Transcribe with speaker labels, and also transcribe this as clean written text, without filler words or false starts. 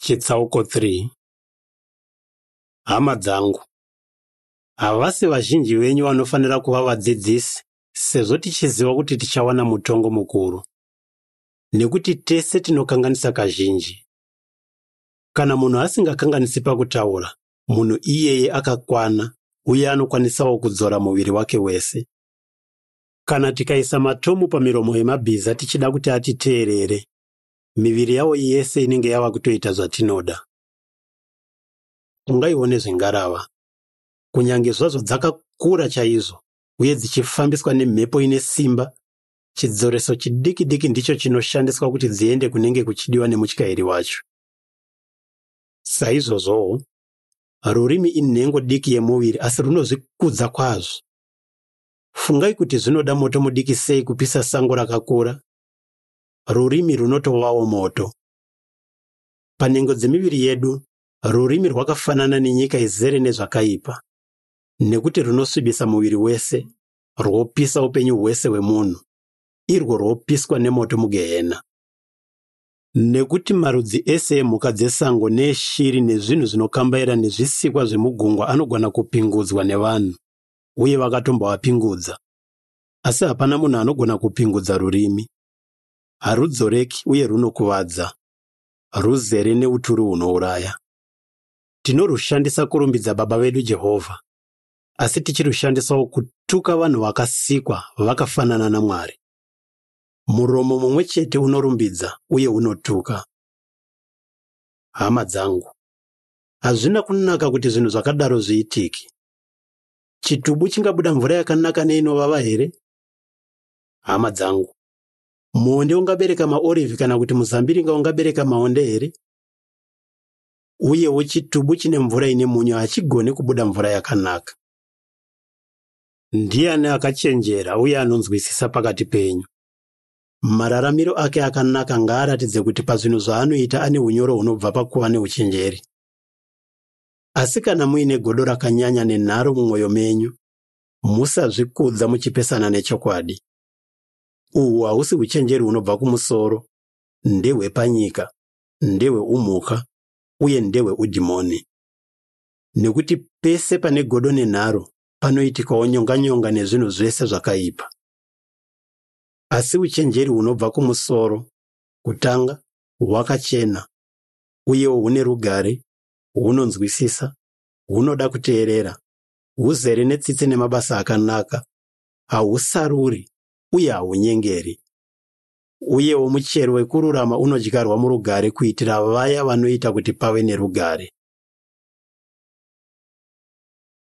Speaker 1: Chitsauko 3. Hama dzangu, havasi vazhinji venyu vanofanira kuva vadzidzisi, sezvo tichiziva kuti tichawana mutongo mukuru. Nekuti tese tinokanganisa kazhinji. Kana munhu asingakanganisi pakutaura, munhu iyeye akakwana uye anokwanisawo kudzora muviri wake wese. Kana tikaisa matomu pamiromo yemabhiza tichida kuti atiteerere, miviri yawo yese inenge yava kutoita zvatinoda. Ungaiwo nezvengarava. Kunyange zvazvo dzakakura chaizvo uye dzichifambiswa nemhepo ine simba, chidzoreso chidiki diki ndicho chinoshandiswa kuti dziende kunenge kuchidiwa nemutyairi wacho. Saizvozvowo, rurimi inhengo diki yemuviri asi runozvikudza kwazvo. Fungai kuti zvinoda moto mudiki sei kupisa sango rakakura. Rurimi runotovawo moto. Panhengo dzemiviri yedu, rurimi rwakafanana nenyika izere nezvakaipa, nekuti runosvibisa muviri wese, rwopisa upenyu hwese hwemunhu, irwo rwopiswa nemoto mugehena. Nekuti marudzi ese emhuka dzesango neeshiri nezvinhu zvinokambaira nezvisikwa zvemugungwa anogona kupingudzwa nevanhu, uye vakatomboapingudza. Asi hapana munhu anogona kupingudza rurimi. Harudzoreki uye runokuvadza. Ruzere neuturu hunouraya. Tinorushandisa kurumbidza Baba vedu Jehovha, asi tichirushandisawo kutuka vanhu vakasikwa vakafanana naMwari. Muromo mumwe chete unorumbidza uye unotuka. Hama dzangu, hazvina kunaka kuti zvinhu zvakadaro zviitike. Chitubu chingabuda mvura yakanaka neinovava here? Hama dzangu, muonde ungabereka maorivhi kana kuti muzambiringa ungabereka maonde here? Uyewo chitubu chine mvura ine munyu hachigoni kubuda mvura yakanaka. Ndiani akachenjera uye anonzwisisa pakati penyu? Mararamiro ake akanaka ngaaratidze kuti pazvinhu zvaanoita ane unyoro hunobva pakuva neuchenjeri. Asi kana muine godo rakanyanya nenharo mumwoyo menyu, musazvikudza muchipesana nechokwadi. Uhwu hausi uchenjeri hunobva kumusoro, ndehwepanyika, ndehweumhuka uye ndehweudhimoni. Nekuti pese pane godo nenharo panoitikawo nyonganyonga nezvinhu zvese zvakaipa. Asi uchenjeri hunobva kumusoro, kutanga, hwakachena, uyewo hune rugare, hunonzwisisa, hunoda kuteerera, huzere netsitsi nemabasa akanaka, hahusaruri uye hahunyengeri. Uyewo muchero wekururama unodyarwa murugare kuitira vaya vanoita kuti pave nerugare.